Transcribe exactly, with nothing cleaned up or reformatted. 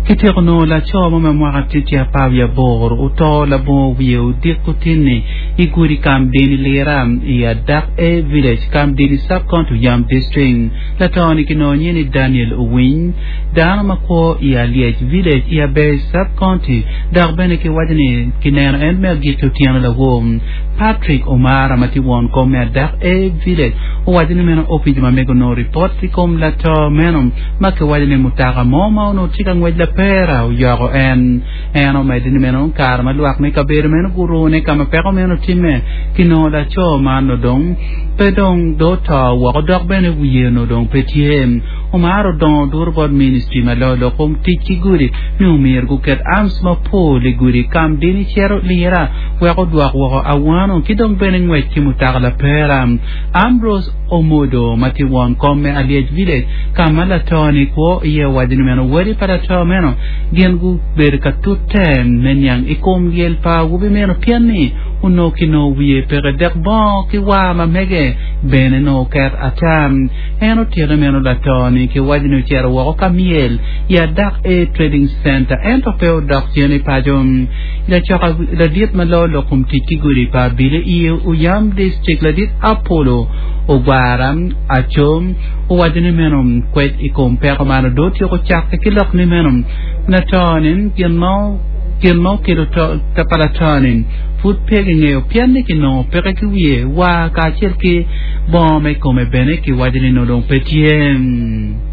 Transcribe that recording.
Kityeko nongo laco mo ma mwaka tye apar wiye aboro oto labongo wiye odiko tin-ni i gudi Kamdini Lira i Adak A Village, Kamdini Sub-County, Oyam District. Lato-ni kinongo nyinge ni Daniel Owiny, dano ma kwo i Alyec Village i Aber Sub-County dok bene kiwaco ni kineno en me agikki otyeno lawor. Patrick Omara ma tye won kom me Adak A Village owaco ni meno opic ma mege onongo ripot i kom lato meno ma kiwaco ni mutoka mo ma onongo tye ka ngwec lapera oyoko en. En omedde ni meno kare ma lwak me kabedo meno gurune ka ma peko meno otimme, kinongo laco man odong pe dong do oto woko dok bene wiye onongo dong pe tye. Omar odongo duro bot ministry ma loyo lok kom tic ki gudi ni omyero guket arms mapol i gudi kam dini cito lira wek odwok woko awano ki dong bene ngwec ki mutoka lapera. Ambrose Omodo ma tye won kom me Alyec Village ka ma lato-ni kwo iye owaco ni meno wadi pa lato meno gin gubedo ka tute me niang i kom lyel pa awobi meno pien ni onongo kinongo wiye peke dok bongo ki war ma mege bene nongo oket ata. En otito ni meno lato-ni kiwaco ni ocito woko ka myel i Adak A Trading Centre ento pe odok cen i paco. Lacoka ladit ma loyo lok kom tic ki gudi pa abili i Oyam District ladit Apollo Ogwara Aco owaco ni meno kwec i kom peko man odong otyeko cakke ki lok ni meno lato-ni gin ma gin ma okelo to pa lato-ni pud pe kingeyo pien ni kinongo peke ki wiye war kacel ki bongo me kome bene kiwaco ni nongo dong pe tye.